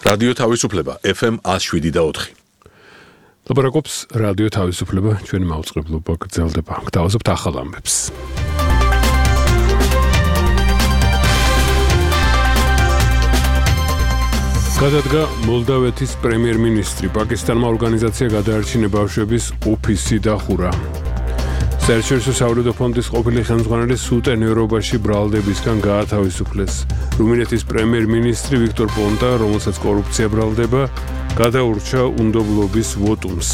რადიო თავისუფლება FM 107.4. ლაპარაკობს რადიო თავისუფლება, ჩვენი მაუწყებლობა გრძელდება. გთავაზობთ ახალ ამბებს. გადადგა მოლდავეთის პრემიერ-მინისტრი, პაკისტანმა ორგანიზაცია გადაარჩინა ბავშვების ოფისი დახურა. საერთაშორისო სავალუტო ფონდის ყოფილი ხელმძღვანელი სუტენ ევროპაში ბრალდებისგან გაათავისუფლეს. რუმინეთის პრემიერ-მინისტრი ვიქტორ პონტა, რომელსაც კორუფცია ბრალდება, გადაურჩა უნდობლობის ვოტუმს.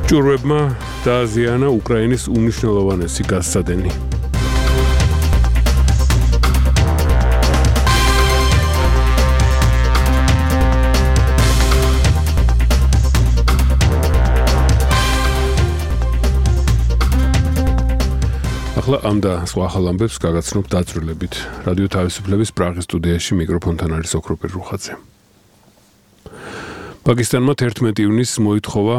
ჭურვებმა დააზიანა უკრაინის უმნიშვნელოვანესი გაზსადენი. ახლა ამ და სხვა ახალ ამბებს გაგაცნობ დაწვრილებით. რადიო თავისუფლების პრაღის სტუდიაში მიკროფონთან არის ოქროპირ რუხაძე. პაკისტანმა 11 ივნისს მოითხოვა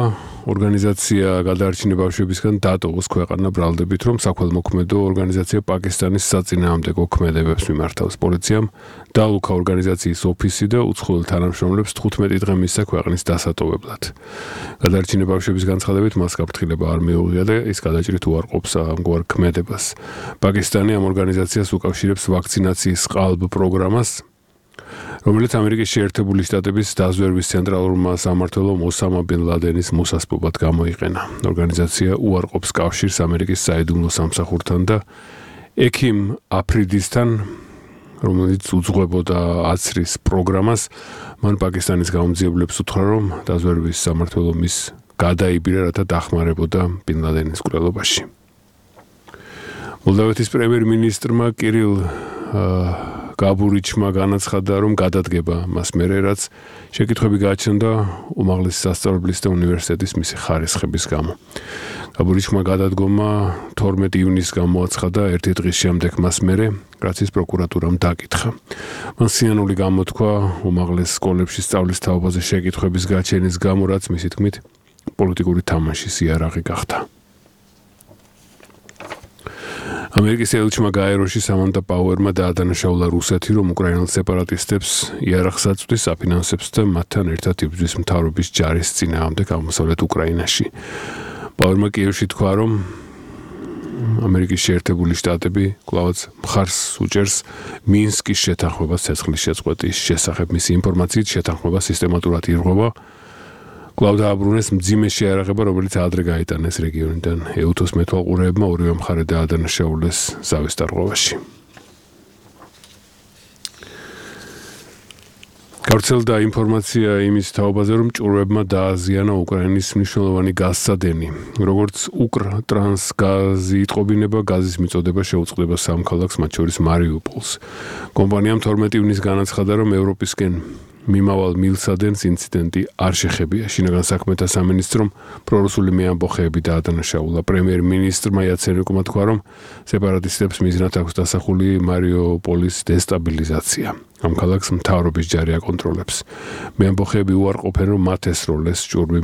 ორგანიზაცია გადაარჩინა ბავშვებისგან დატოვოს ქვეყანა ბრალდებით, რომ საქველმოქმედო ორგანიზაცია პაკისტანის საწინააღმდეგო ქმედებებს მიმართავს. პოლიციამ დაალუქა ორგანიზაციის ოფისი და უცხოელ თანამშრომლებს 15 დღე მისცა ქვეყნის დასატოვებლად. გადაარჩინა ბავშვების განცხადებით მას გაფრთხილება არ მიუღია და ის გადაჭრით უარყოფს ამგვარ ქმედებას. პაკისტანი ამ ორგანიზაციას უკავშირებს ვაქცინაციის ყალბ პროგრამას, რომელიც ამერიკის შეერთებული შტატების დაზვერვის ცენტრალურმა სამმართველომ ოსამა ბინ ლადენის მოსასპობად გამოიყენა. ორგანიზაცია უარყოფს კავშირს ამერიკის საიდუმლო სამსახურთან და ექიმ აფრიდისთან, რომელიც უძღვებოდა აცრის პროგრამას, მან პაკისტანის გაუმძიებლებს უთხრა, რომ დაზვერვის სამმართველო მის გადაიბირა, რათა დახმარებოდა ბინ ლადენის მკვლელობაში. მოლდავეთის პრემიერ-მინისტრმა კირილ გაბურიჩმა განაცხადა, რომ გადადგება მას მერე, რაც შეკითხვები გააჩნდა უმაღლესი სასწავლებლის და უნივერსიტეტის მისი ხარისხების გამო. გაბურიჩმა გადადგომა 12 ივნისს გამოაცხადა, ერთი დღის შემდეგ მას მერე, რაც ის პროკურატურამ დაკითხა. მან სინანული გამოთქვა უმაღლეს სკოლებში სწავლის თაობაზე შეკითხვების გაჩენის გამო, რაც მისი თქმით პოლიტიკური თამაშის იარაღი გახდა. ამერიკის ელჩმა გაეროში სამანტა პაუერმა დაადანაშაულა რუსეთი, რომ უკრაინელ სეპარატისტებს იარაღს აწვდის, აფინანსებს და მათთან ერთად იბრძვის მთავრობის ჯარის წინააღმდეგ აღმოსავლეთ უკრაინაში. პაუერმა კიევში თქვა, რომ ამერიკის შეერთებული შტატები კვლავაც მხარს უჭერს მინსკის შეთანხმებას ცეცხლის შეწყვეტის შესახებ. მისი ინფორმაციით შეთანხმება სისტემატურად ირღვევა. კვლავ დააბრუნეს მძიმე შეიარაღება, რომელიც ადრე გაიტანეს რეგიონიდან. ეუთოს მეთვალყურეებმა ორივე მხარე დაადანაშაულეს ზავის დარღვევაში. გავრცელდა ინფორმაცია იმის თაობაზე, რომ ჭურვებმა დააზიანა უკრაინის მნიშვნელოვანი გაზსადენი. როგორც უკრტრანსგაზი იტყობინება, გაზის მიწოდება შეუწყდება სამ ქალაქს, მათ შორის მარიუპოლს. კომპანიამ 12 ივნისს განაცხადა, რომ ევროპისკენ მიმავალ მილსადენს ინციდენტი არ შეხებია. შინაგან საქმეთა სამინისტრომ პრორუსული მეამბოხეები დაადანაშაულა. პრემიერ-მინისტრმა იაცენიუკმა თქვა, რომ სეპარატისტებს მიზნად აქვს დასახული მარიუპოლის დესტაბილიზაცია. ამ ქალაქს მთავრობის ჯარი აკონტროლებს. მეამბოხეები უარყოფენ, რომ მათ ესროლეს ჭურვი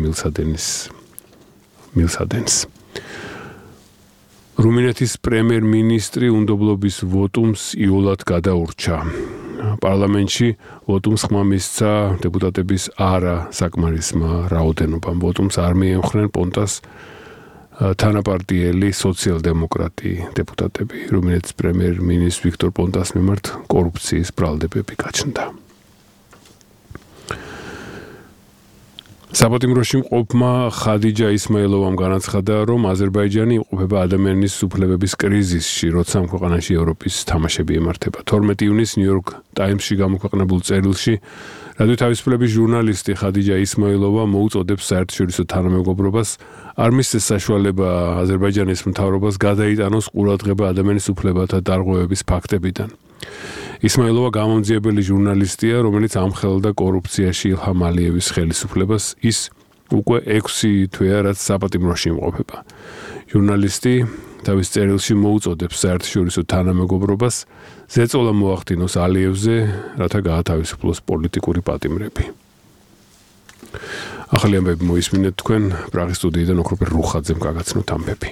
მილსადენს. რუმინეთის პრემიერ-მინისტრი უნდობლობის ვოტუმს იოლად გადაურჩა. პარლამენტში ვოტუმს ხმა მისცა დეპუტატების არა საკმარისმა რაოდენობამ. ვოტუმს არ მიემხრნენ პონტას თანაპარტიელი სოციალ-დემოკრატი დეპუტატები. რუმინეთის პრემიერ-მინისტრ ვიქტორ პონტას მიმართ კორუფციის ბრალდებები გაჩნდა. საპატიმროში მყოფმა ხადიჯა ისმაილოვამ განაცხადა, რომ აზერბაიჯანი იმყოფება ადამიანის უფლებების კრიზისში, როცა ამ ქვეყანაში ევროპის თამაშები ემართება. 12 ივნისს ნიუ-იორკ ტაიმსში გამოქვეყნებულ წერილში რადიო თავისუფლების ჟურნალისტი ხადიჯა ისმაილოვა მოუწოდებს საერთაშორისო თანამეგობრობას არ მისცეს საშუალება აზერბაიჯანის მთავრობას გადაიტანოს ყურადღება ადამიანის უფლებათა დარღვევების ფაქტებიდან. ისმაილოვა გამომძიებელი ჟურნალისტია, რომელიც ამხელდა კორუფციაში ილჰამ ალიევის ხელისუფლებას. ის უკვე 6 თვეა, რაც საპატიმროში იმყოფება. ჟურნალისტი თავის წერილში მოუწოდებს საერთაშორისო თანამეგობრობას ზეწოლა მოახდინოს ალიევზე, რათა გაათავისუფლოს პოლიტიკური პატიმრები. ახალი ამბები მოისმინეთ თქვენ პრაღის სტუდიიდან ოქროპირ რუხაძემ გაგაცნოთ ამბები.